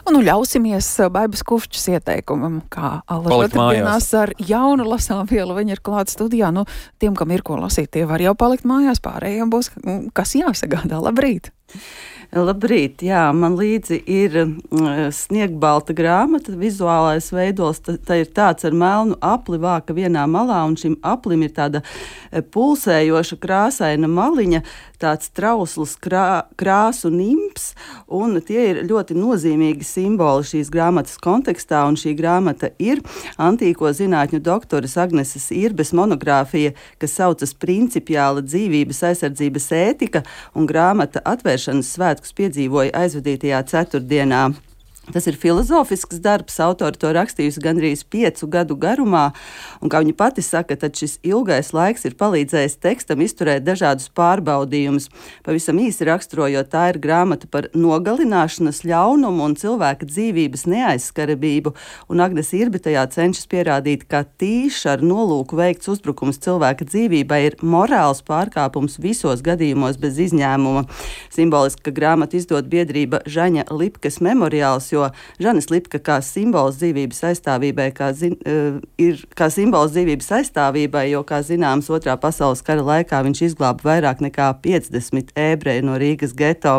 Un nu ļausimies Baibas Kufčas ieteikumam, kā Alla Palikt otrdienās ar jaunu lasām vielu. Viņa ir klāta studijā. Nu, tiem, kam ir ko lasīt, tie var jau palikt mājās, pārējiem būs kas jāsagādā. Labrīt! Labrīt, jā, man līdzi ir sniegbalta grāmata, vizuālais veidols, tā ir tāds ar melnu apli vāka vienā malā, un šim aplim ir tāda pulsējoša krāsaina maliņa, tāds trausls krāsu nimps, un tie ir ļoti nozīmīgi simboli šīs grāmatas kontekstā, un šī grāmata ir antīko zinātņu doktoras Agneses Irbes monogrāfija, kas saucas Principiāla dzīvības aizsardzības ētika, un grāmata atvēršanas svētkus piedzīvoja aizvadītajā ceturtdienā. Tas ir filozofisks darbs, autori to rakstījusi gandrīz 5 gadu garumā, un, kā viņa pati saka, tad šis ilgais laiks ir palīdzējis tekstam izturēt dažādus pārbaudījumus. Pavisam īsi raksturojot, tā ir grāmata par nogalināšanas ļaunumu un cilvēka dzīvības neaizskarabību, un Agnes Irbe tajā cenšas pierādīt, ka tīši ar nolūku veikts uzbrukums cilvēka dzīvībai ir morāls pārkāpums visos gadījumos bez izņēmuma. Simboliski, ka grāmatu izdod biedrība Žaņa Lipkas memoriāls, jo Žanis Lipka kā simbols dzīvības aizstāvībai, ir kā simbols dzīvības aizstāvībai, jo, kā zināms, Otrā pasaules kara laikā viņš izglāba vairāk nekā 50 ebreju no Rīgas geto.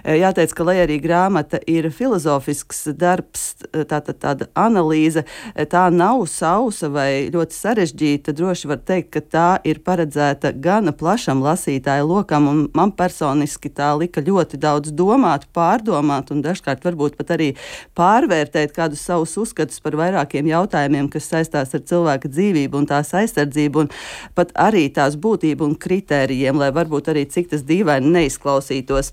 Jāteic, ka, lai arī grāmata ir filozofisks darbs, tāda analīze, tā nav sausa vai ļoti sarežģīta, droši var teikt, ka tā ir paredzēta gana plašam lasītāju lokam, un man personiski tā lika ļoti daudz domāt, pārdomāt un dažkārt varbūt pat arī pārvērtēt kādus savus uzskatus par vairākiem jautājumiem, kas saistās ar cilvēka dzīvību un tās aizsardzību, un pat arī tās būtību un kritērijiem, lai varbūt arī cik tas dīvaini neizklausītos.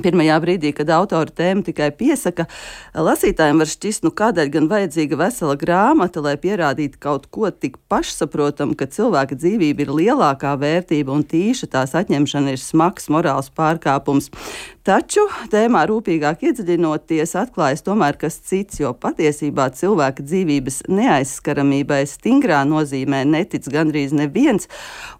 Pirmajā brīdī, kad autora tēma tikai piesaka, lasītājiem var šķist, kādēļ gan vajadzīga vesela grāmata, lai pierādītu kaut ko tik pašsaprotam, ka cilvēka dzīvība ir lielākā vērtība un tīša tās atņemšana ir smags morāls pārkāpums. Taču tēmā rūpīgāk iedziļinoties atklājas tomēr kas cits, jo patiesībā cilvēka dzīvības neaizskaramībai stingrā nozīmē netic gandrīz neviens,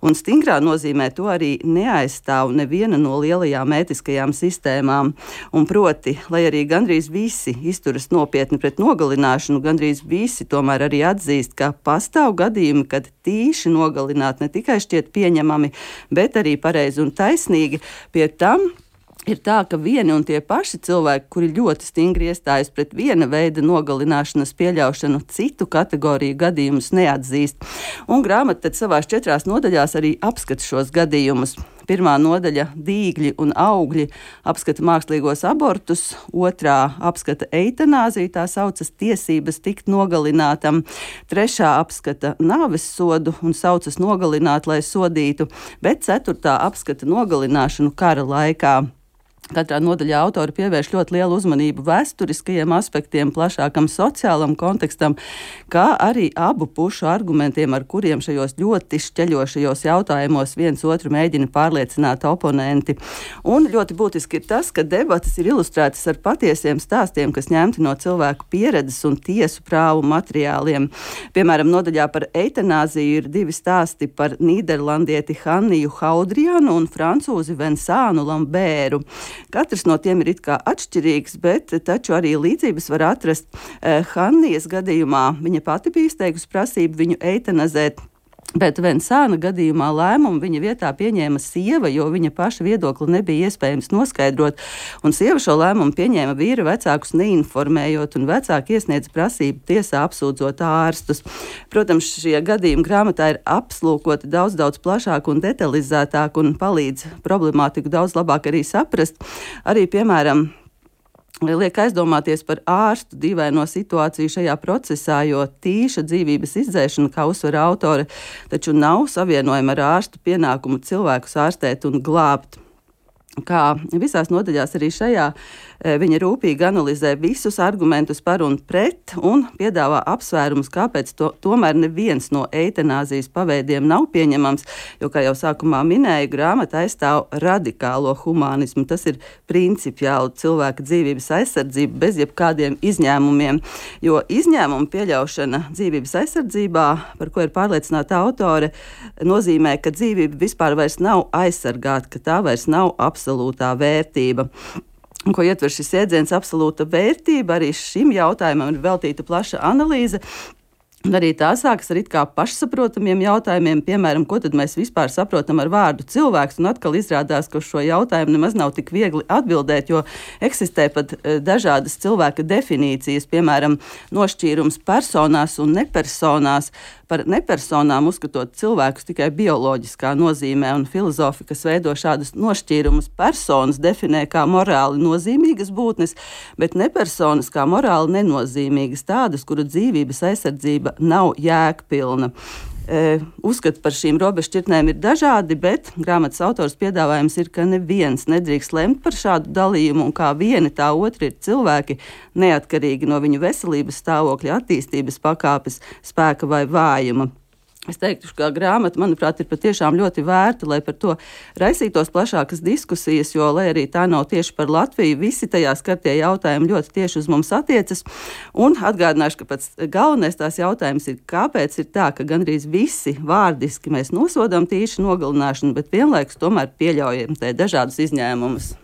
un stingrā nozīmē to arī neaizstāv neviena no lielajām ētiskajām sistēmām. Un proti, lai arī gandrīz visi izturas nopietni pret nogalināšanu, gandrīz visi tomēr arī atzīst, ka pastāv gadījumi, kad tīši nogalināt ne tikai šķiet pieņemami, bet arī pareizi un taisnīgi. Pie tam ir tā, ka vieni un tie paši cilvēki, kuri ļoti stingri iestājas pret viena veida nogalināšanas pieļaušanu, citu kategoriju gadījumus neatzīst. Un grāmata tad savās 4 nodaļās arī apskata šos gadījumus. Pirmā nodaļa – dīgļi un augļi apskata mākslīgos abortus, otrā apskata eitanāziju, tā saucas tiesības tikt nogalinātam, trešā apskata nāves sodu un saucas nogalināt, lai sodītu, bet ceturtā apskata nogalināšanu kara laikā. Katrā nodaļā autori pievērš ļoti lielu uzmanību vēsturiskajiem aspektiem, plašākam sociālam kontekstam, kā arī abu pušu argumentiem, ar kuriem šajos ļoti šķeļošajos jautājumos viens otru mēģina pārliecināt oponenti. Un ļoti būtiski ir tas, ka debatas ir ilustrētas ar patiesiem stāstiem, kas ņemti no cilvēku pieredzes un tiesu prāvu materiāliem. Piemēram, nodaļā par eitanāziju ir 2 stāsti par nīderlandieti Hanniju Haudrianu un francūzi Vincānu Lambēru. Katrs no tiem ir it kā atšķirīgs, bet taču arī līdzības var atrast. Hannijas gadījumā viņa pati bija izteikusi prasību viņu eitanazēt, bet Vincāna gadījumā lēmumu viņa vietā pieņēma sieva, jo viņa paša viedokli nebija iespējams noskaidrot, un sieva šo lēmumu pieņēma vīra vecākus neinformējot, un vecāki iesniedz prasību tiesā apsūdzot ārstus. Protams, šie gadījumi grāmatā ir apslūkoti daudz plašāk un detalizētāk un palīdz problemātiku daudz labāk arī saprast. Arī, piemēram, liek aizdomāties par ārstu dīvaino situāciju šajā procesā, jo tīša dzīvības izdzēšana, kā uzsver autore, taču nav savienojama ar ārstu pienākumu cilvēkus ārstēt un glābt. Kā visās nodaļās arī šajā viņa rūpīgi analizē visus argumentus par un pret un piedāvā apsvērumus, kāpēc tomēr neviens no eitanāzijas paveidiem nav pieņemams, jo, kā jau sākumā minēju, grāmata aizstāv radikālo humānismu. Tas ir principiāli cilvēka dzīvības aizsardzība bez jebkādiem izņēmumiem, jo izņēmumu pieļaušana dzīvības aizsardzībā, par ko ir pārliecināta autore, nozīmē, ka dzīvība vispār vairs nav aizsargāta, ka tā vairs nav absolūtā vērtība. ko ietver šis jēdziens absolūta vērtība. Arī šim jautājumam ir veltīta plaša analīze. Un arī tā sākas ar it kā pašsaprotamiem jautājumiem, piemēram, ko tad mēs vispār saprotam ar vārdu cilvēks, un atkal izrādās, ka uz šo jautājumu nemaz nav tik viegli atbildēt, jo eksistē pat dažādas cilvēka definīcijas, piemēram, nošķīrums personās un nepersonās. Par nepersonām uzskatot cilvēkus tikai bioloģiskā nozīmē, un filozofi, kas veido šādus nošķīrumus, personas definē kā morāli nozīmīgas būtnes, bet nepersonas kā morāli nenozīmīgas, tādas, kuru dzīvības aizsardzība nav jēgpilna. Uzskati par šīm robežšķirtnēm ir dažādi, bet grāmatas autors piedāvājums ir, ka neviens nedrīkst lemt par šādu dalījumu, un kā vieni tā otri ir cilvēki, neatkarīgi no viņu veselības stāvokļa, attīstības pakāpes, spēka vai vājuma. Es teiktu, ka grāmata, manuprāt, ir patiešām ļoti vērta, lai par to raisītos plašākas diskusijas, jo, lai arī tā nav tieši par Latviju, visi tajā skartie jautājumi ļoti tieši uz mums attiecas. Un atgādināšu, ka pats galvenais tās jautājums ir, kāpēc ir tā, ka gandrīz visi vārdiski mēs nosodām tīšu nogalināšanu, bet vienlaikus tomēr pieļaujam te dažādus izņēmumus.